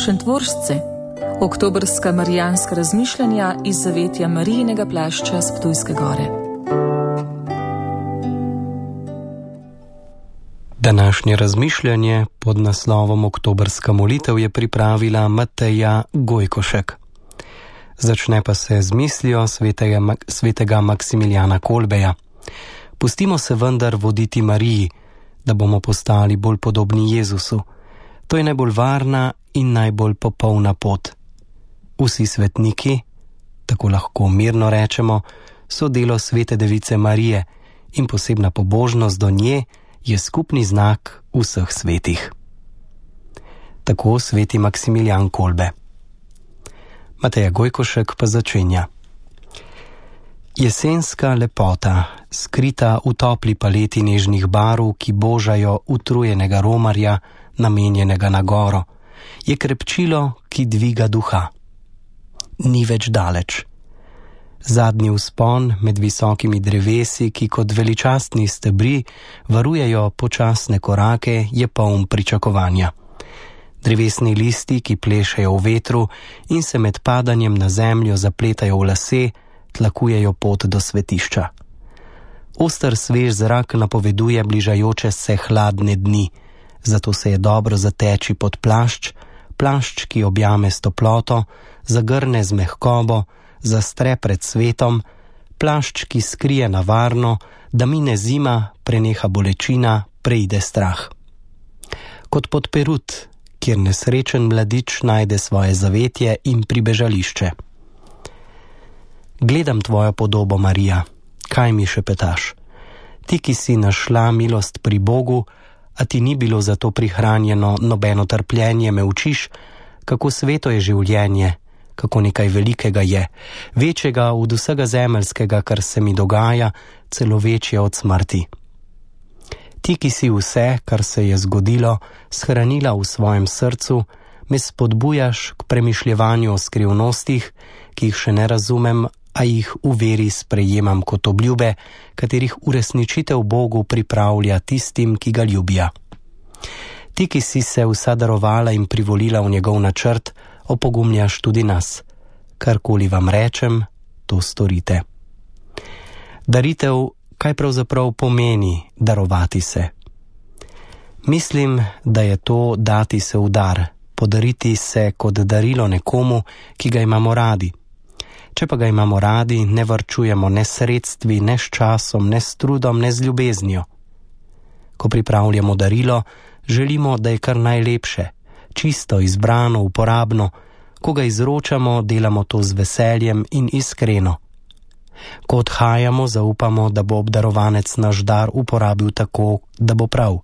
Šentvoržce, oktobrska marijanska razmišljanja iz zavetja Marijinega plašča s Ptujske gore. Današnje razmišljanje pod naslovom Oktobrska molitev je pripravila Mateja Gojkošek. Začne pa se z mislijo svetega Maksimiljana Kolbeja. Pustimo se vendar voditi Mariji, da bomo postali bolj podobni Jezusu. To je najbolj varna in najbolj popolna pot. Vsi svetniki, tako lahko mirno rečemo, so delo svete device Marije in posebna pobožnost do nje je skupni znak vseh svetih. Tako sveti Maksimilijan Kolbe. Mateja Gojkošek pa začenja. Jesenska lepota, skrita v topli paleti nežnih barv, ki božajo utrujenega romarja, namenjenega na goro, je krepčilo, ki dviga duha. Ni več daleč. Zadnji vzpon med visokimi drevesi, ki kot veličastni stebri varujejo počasne korake, je poln pričakovanja. Drevesni listi, ki plešejo v vetru in se med padanjem na zemljo zapletajo v lase, tlakujejo pot do svetišča. Oster svež zrak napoveduje bližajoče se hladne dni, zato se je dobro zateči pod plašč, ki objame s toploto, zagrne z mehkobo, zastre pred svetom, plašč, ki skrije na varno, da mine zima, preneha bolečina, preide strah. Kot pod Perut, kjer nesrečen mladič najde svoje zavetje in pribežališče. Gledam tvojo podobo, Marija, kaj mi šepetaš? Ti, ki si našla milost pri Bogu, a ti ni bilo za to prihranjeno nobeno trpljenje, me učiš, kako sveto je življenje, kako nekaj velikega je, večjega od vsega zemeljskega, kar se mi dogaja, celo večje od smrti. Ti, ki si vse, kar se je zgodilo, shranila v svojem srcu, me spodbujaš k premišljevanju o skrivnostih, ki jih še ne razumem, a jih v veri sprejemam kot obljube, katerih uresničitev Bogu pripravlja tistim, ki ga ljubijo. Ti, ki si se vsa darovala in privolila v njegov načrt, opogumljaš tudi nas. Karkoli vam rečem, to storite. Daritev, kaj pravzaprav pomeni darovati se? Mislim, da je to dati se v dar, podariti se kot darilo nekomu, ki ga imamo radi. Če pa ga imamo radi, ne varčujemo ne s sredstvi, ne s časom, ne s trudom, ne z ljubeznijo. Ko pripravljamo darilo, želimo, da je kar najlepše, čisto, izbrano, uporabno. Ko ga izročamo, delamo to z veseljem in iskreno. Ko odhajamo, zaupamo, da bo obdarovanec naš dar uporabil tako, da bo prav.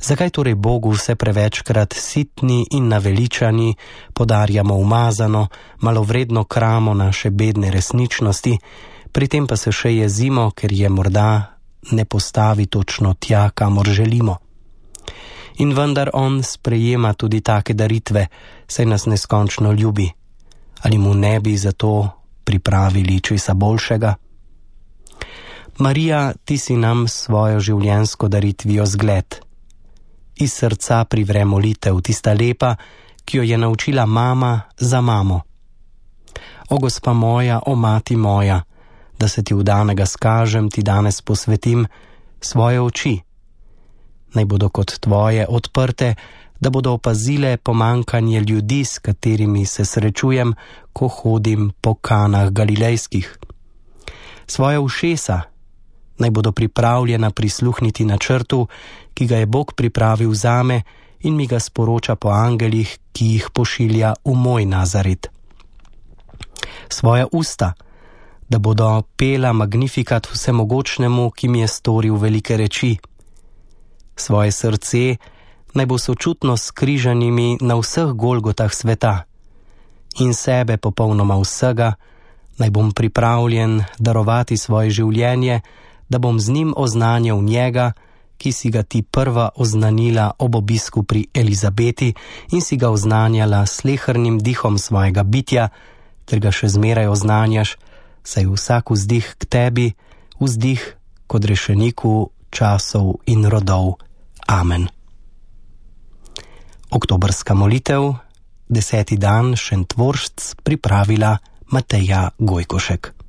Zakaj torej Bogu vse prevečkrat sitni in naveličani podarjamo umazano, malovredno kramo naše bedne resničnosti, pri tem pa se še jezimo, ker je morda ne postavi točno tja, kamor želimo? In vendar on sprejema tudi take daritve, saj nas neskončno ljubi. Ali mu ne bi zato pripravili česa boljšega? Marija, ti si nam svojo življenjsko daritvijo zgled. Iz srca privre molitev, tista lepa, ki jo je naučila mama za mamo. O gospa moja, o mati moja, da se ti vdanega skažem, ti danes posvetim svoje oči. Naj bodo kot tvoje odprte, da bodo opazile pomankanje ljudi, s katerimi se srečujem, ko hodim po kanah galilejskih. Svoje ušesa naj bodo pripravljena prisluhniti načrtu, ki ga je Bog pripravil zame in mi ga sporoča po angelih, ki jih pošilja v moj Nazaret. Svoja usta, da bodo pela magnifikat vsemogočnemu, ki mi je storil velike reči. Svoje srce naj bo sočutno skrižanimi na vseh golgotah sveta in sebe popolnoma vsega, naj bom pripravljen darovati svoje življenje, da bom z njim oznanjal njega, ki si ga ti prva oznanila ob obisku pri Elizabeti in si ga oznanjala slehernim dihom svojega bitja, ter ga še zmeraj oznanjaš, saj vsak vzdih k tebi, vzdih kot rešeniku časov in rodov. Amen. Oktobrska molitev, 10. dan Šentvoršc, pripravila Mateja Gojkošek.